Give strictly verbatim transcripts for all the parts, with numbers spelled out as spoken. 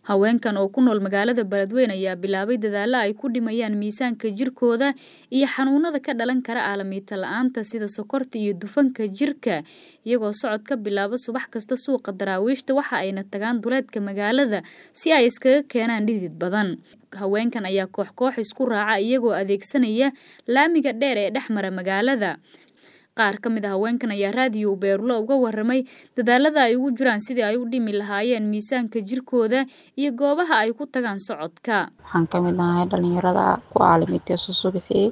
Haweenkan oo ku nool magaalada Beledweyne ayaa bilaabay dadaalo ay ku dhimayaan miisaanka jirkooda iyo xanuunada ka dhalan kara aalamiito la'aanta sida sokorta iyo dufanka jirka, iyagoo socod ka bilaaba subax kasta suuqa Daraawiishta waxa ayna tagaan duleedka magaalada si ay iskaga keenaan dhidid badan. Haweenkan ayaa koox koox isku raaca iyagoo adeegsanaya laamiga dheer ee dhex mara magaalada. Qaar ka mid ah haweenkan ayaa raadiyo Beerulo uga warramay dadaalada ay ugu jiraan sidii ay u dhimi lahaayeen miisaanka jirkooda iyo goobaha ay ku tagaan socodka. Waxaan ka mid ahay dhalinyarada ku aalamiiteyso subaxii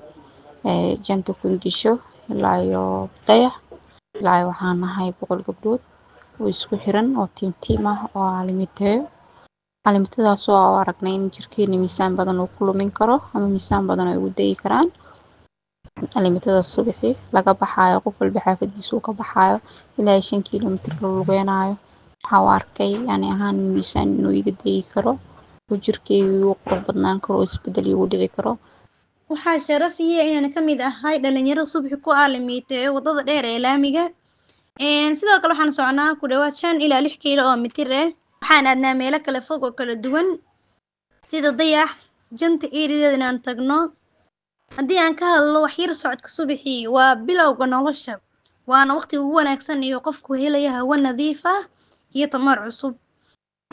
ee janta kundisho ilaa iyo dayax ilaa iyo waxaan nahay boqol gabdhood oo isku xiran oo tiim tiim ah oo aalamiiteeyo. Aalamiitadaas oo aan aragnay in jirkeena miisaan badan uu ku lumin karo ama miisaan badan ay ugu dayi karaan. Aalamiitada subaxii laga baxaayo qof walba xaafadiisa uu ka baxaayo ilaa shan kiiloomitir la lugeynayo. Waxaan u arkay yani ahaan miisaan inuu iga dayi karo oo jirkeyga igu qurux badnaan karo oo isbedel igu dhici karo. Waxaa sharaf ii ah inaan ka mid ahay dhalinyaro subaxii ku aalamiiteeyo wadada dheer ee laamiga. Een sidoo kale waxaan soconaa ku dhawaad shan ilaa lix kiilo oo mitir ah. Waxaan aadnaa meelo kala fog oo kala duwan sida dayax, janta eriyadeeda inaan tagno. Haddii aan ka hadlo wax yar socodka subaxii waa bilowga nolosha, waana waqtiga ugu wanaagsan iyo qofku helayo hawo nadiif ah iyo tamar cusub.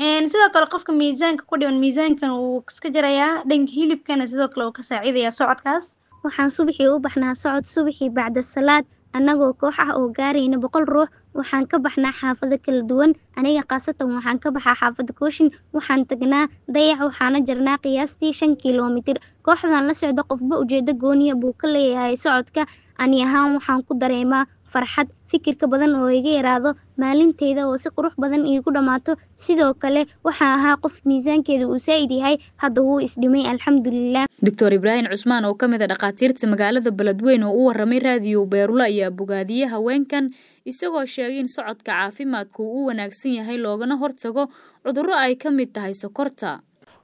Een sidoo kale qofka miisaanka ku dhiman miisaankan wuu iska jarayaa, dhanka hilibkana sidoo kale wuu ka saacidayaa socodkaas. Waxaan subaxii u baxnaa socod subaxii bacda salaad annagoo koox ah oo gaarayna boqol ruux. Waxaan ka baxnaa xaafado kala duwan. Aniga khaasatan waxaan ka baxaa xaafadda Kooshin. Waxaan tagnaa dayax waxaana jarnaa qiyaastii shan kiiloomitir. Kooxdan la socda qofba ujeedo gooniya buu ka leeyahay socodka. Ani ahaan waxaan ku dareemaa farxad, fikirka badan oo iga yaraado, maalinteyda oo si qurux badan iigu dhammaato. Sidoo kale waxaan ahaa qof miisaankeedu uu saa'id yahay, hadda wuu is dhimay alxamdulillaah. Doctor Ibraahim Cusmaan oo ka mid ah dhaqaatiirta magaalada Beledweyne oo u warramay raadiyo Beerulo ayaa bogaadiyay haweenkan isagoo sheegay in socodka caafimaadku uu u wanaagsan yahay loogana hortago cudurro ay ka mid tahay sokorta.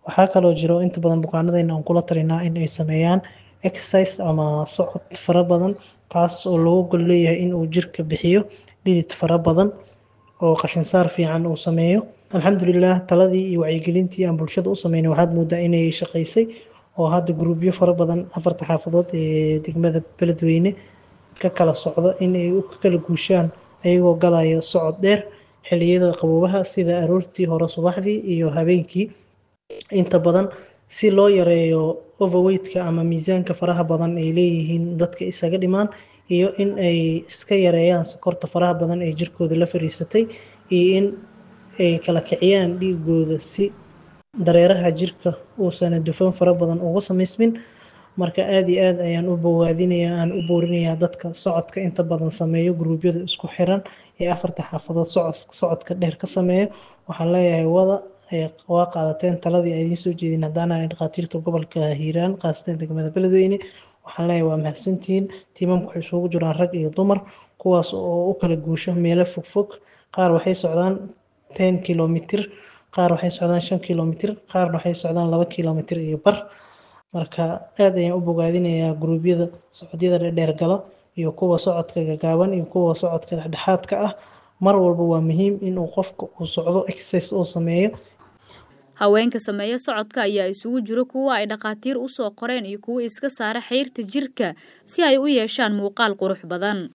Waxaa kaloo jiro inta badan bukaanadayna aan kula talinaa in ay sameeyaan exercise ama socod fara badan, kaas oo loogu gol leeyahay in uu jirka bixiyo dhidid fara badan oo qashin saar fiican uu sameeyo. Alxamdulillaah, taladii iyo wacyigelintii aan bulshada u sameynay waxaad moodaa inay shaqaysay oo hadda gruubyo fara badan afarta xaafadood ee degmada Beledweyne ka kala socda in ay u kala guushaan ayagoo galaya socod dheer xilliyada qaboobaha sida aroortii hore subaxdii iyo habeenkii. Inta badan si loo yareeyo overweight-ka ama miisaanka faraha badan ay leeyihiin dadka isaga dhimaan iyo in ay iska yareeyaan sokorta faraha badan ee jirkooda la fariisatay iyo in ay kala kiciyaan dhiigooda si dareeraha jirka uusan dufan fara badan uga samaysmin. Marka aad iyo aad ayaan u bogaadinayaa aan u boorinayaa dadka socodka inta badan sameeyo gruubyada isku xiran ee afarta xaafadood socod socodka dheer ka sameeyo. Waxaan leeyahay wada waa qaadateen taladii ay idiin soo jeedin haddaan ahay dhaqaatiirta gobolka Hiiraan khaasatan degmada Beledweyne. Waxaan leeyahay waa mahadsantihiin. Tiimamku waxay isugu jiraan rag iyo dumar kuwaas oo u kala guusho meelo fogfog. Qaar waxay socdaan ten kiiloomitir, qaar waxay socdaan shan kiiloomitir, qaarna waxay socdaan laba kiiloomitir iyo bar. Marka aad ayaan u bogaadinayaa gruubyada socodyada dheer gala iyo kuwa socodka gaagaaban iyo kuwa socodka dhexdhexaadka ah. Mar walba waa muhiim in uu qofka uu socdo exercise uu sameeyo. Haweenka sameeya socodka ayaa isugu jiro kuwa ay dhaqaatiir u soo qoreen iyo kuwa iska saara xeyrta jirka si ay u yeeshaan muuqaal qurux badan.